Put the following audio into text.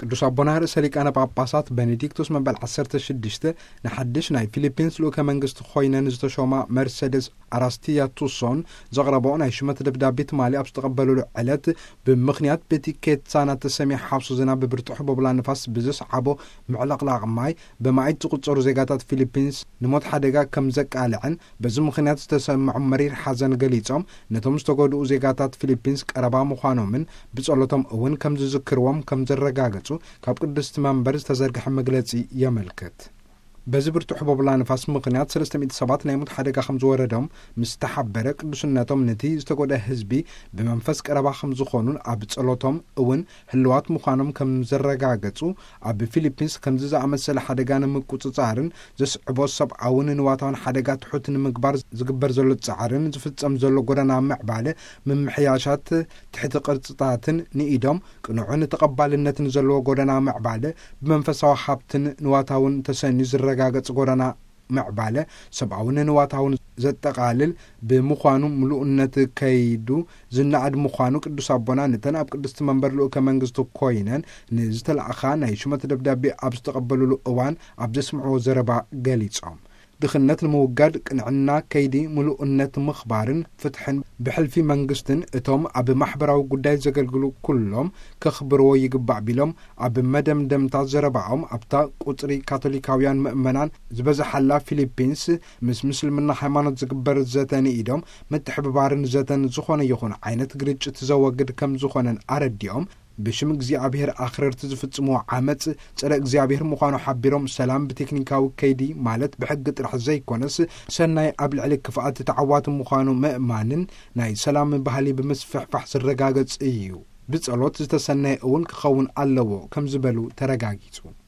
ቅዱስ ኣቦና ርእሰ ሊቃነ ጳጳሳት ቤኔዲክቶስ መበል ዓሰርተ ሽዱሽተ ንሓድሽ ናይ ፊሊፒንስ ልኡከ መንግስቲ ኮይነን ዝተሾማ መርሴደስ ኣራስቲያ ቱሶን ዘቕረበኦ ናይ ሹመት ደብዳቤ ትማሊ ኣብ ዝተቐበሉሉ ዕለት፣ ብምኽንያት በቲ ኬትሳና ተሰሚያ ሓውሲ ዝናብ ብብርቱዕ ህቦብላ ንፋስ ብዘስዓቦ ምዕልቕላቕ ማይ ብመኣይት ዝቑጸሩ ዜጋታት ፊሊፒንስ ንሞት ሓደጋ ከም ዘቃልዐን በዚ ምኽንያት ዝተሰምዖም መሪር ሓዘን ገሊጾም፣ ነቶም ዝተጎድኡ ዜጋታት ፊሊፒንስ ቀረባ ምዃኖምን ብጸሎቶም እውን ከም ዝዝክርዎም ከም ዘረጋገጹ ካብ ቅድስቲ መንበር ዝተዘርግሐ መግለጺ የመልክት። በዚ ብርቱዕ ህቦብላ ንፋስ ምኽንያት ሰለስተ ሚእቲ ሰባት ናይ ሞት ሓደጋ ከም ዝወረዶም ምስ ተሓበረ፣ ቅዱስነቶም ነቲ ዝተጎድአ ህዝቢ ብመንፈስ ቀረባ ከም ዝኾኑን ኣብ ጸሎቶም እውን ህልዋት ምዃኖም ከም ዘረጋገጹ፣ ኣብ ፊሊፒንስ ከምዚ ዝኣመሰለ ሓደጋ ንምቁጽጻርን ዘስዕቦ ሰብኣውን ንዋታውን ሓደጋ ትሑት ንምግባር ዝግበር ዘሎ ጻዕርን ዝፍጸም ዘሎ ጎደና ምዕባለ ምምሕያሻት ትሕቲ ቅርጽታትን ንኢዶም ቅኑዕን ተቐባልነትን ዘለዎ ጎደና ምዕባለ ብመንፈሳዊ ሃብትን ንዋታውን ተሰንዩ ዝረጋገጽ ጎደና ምዕባለ ሰብኣውን ንዋታውን ዘጠቓልል ብምዃኑ፣ ምሉእነት ከይዱ ዝነኣድ ምዃኑ ቅዱስ ኣቦና ነተን ኣብ ቅድስቲ መንበር ልኡከ መንግስቲ ኮይነን ንዝተላእኻ ናይ ሹመት ደብዳቤ ኣብ ዝተቐበሉሉ እዋን ኣብ ዘስምዕዎ ዘረባ ገሊጾም። ድኽነት ንምውጋድ ቅንዕና ከይዲ ምሉእነት ምኽባርን ፍትሕን ብሕልፊ መንግስትን እቶም ኣብ ማሕበራዊ ጉዳይ ዘገልግሉ ኩሎም ከኽብርዎ ይግባእ ቢሎም፣ ኣብ መደምደምታ ዘረባኦም ኣብታ ቁጽሪ ካቶሊካውያን ምእመናን ዝበዝሓላ ፊሊፒንስ ምስ ምስልምና ሃይማኖት ዝግበር ዘተ ንኢዶም ምትሕብባርን ዘተን ዝኾነ ይኹን ዓይነት ግርጭት ዘወግድ ከም ዝኾነን ኣረዲኦም፣ ብሽም እግዚኣብሔር ኣኽረርቲ ዝፍጽምዎ ዓመጽ ጸረ እግዚኣብሔር ምዃኑ ሓቢሮም፣ ሰላም ብቴክኒካዊ ከይዲ ማለት ብሕጊ ጥራሕ ዘይኮነስ ሰናይ ኣብ ልዕሊ ክፍኣት ተዓዋቲ ምዃኑ ምእማንን ናይ ሰላም ባህሊ ብምስፍሕፋሕ ዝረጋገጽ እዩ። ብጸሎት ዝተሰነየ እውን ክኸውን ኣለዎ ከም ዝበሉ ተረጋጊጹ።